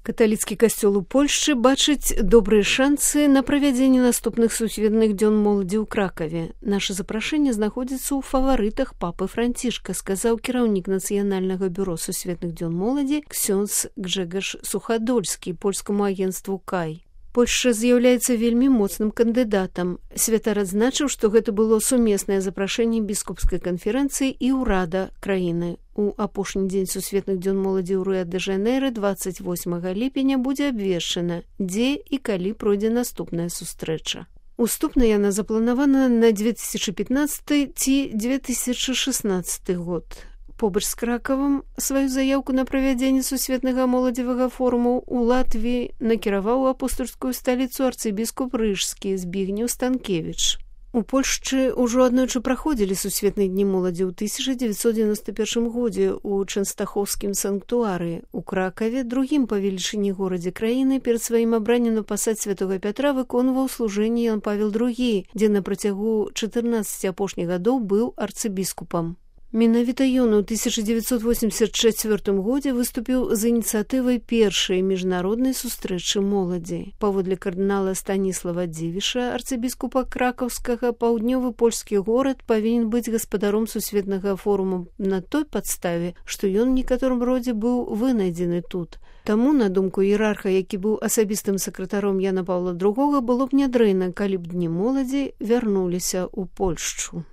Каталіцкі касцёл у Польшчы бачыць добрыя шансы на правядзенне наступных сусветных дзён моладзі ў Кракаве. Наша запрашэнне знаходзіцца ў фаварытах папы Францішка, сказаў кіраўнік Нацыянальнага бюро сусветных дзён моладзі ксёндз Гжэгаш Сухадольскі польскаму агенцтву КАЙ. Польшча з'яўляецца вельмі моцным кандыдатам. Святар адзначыў, што гэта было сумеснае запрашэнне біскупскай канферэнцыі і ўрада краіны. У апошні дзень сусветных дзён моладзі ў Рыа-дэ-Жанэйра 28 ліпеня будзе абвешчана, дзе і калі пройдзе наступная сустрэча. Уступна яна запланавана на 2015 ці 2016 год. Побач з Кракавам сваю заяўку на правядзенне сусветнага моладзевага форуму ў Латвіі накіраваў у апостольскую сталіцу арцыбіскуп рыжскі Збігнеў Станкевіч. У Польшчы ўжо аднойчы праходзілі сусветныя дні моладзі ў 1991 годзе ў Чэнстахоўскім санктуарыі. У Кракаве, другім па велічыні горадзе краіны, перад сваім абраннем на пасад святога Пятра выконваў служэнне Ян Павел II, дзе на працягу 14 апошніх гадоў быў арцыбіскупам. Менавіта ён у 1984 годзе выступіў з ініцыятывай першай міжнароднай сустрэчы моладзі. Паводле кардынала Станіслава Дзівіша, арцыбіскупа кракаўскага, паўднёвы польскі горад павінен быць гаспадаром сусветнага форуму на той падставе, што ён у некаторым родзе быў вынайдзены тут. Таму, на думку іерарха, які быў асабістым сакратаром Яна Паўла II, было б нядрэнна, калі б дні моладзі вярнуліся ў Польшчу.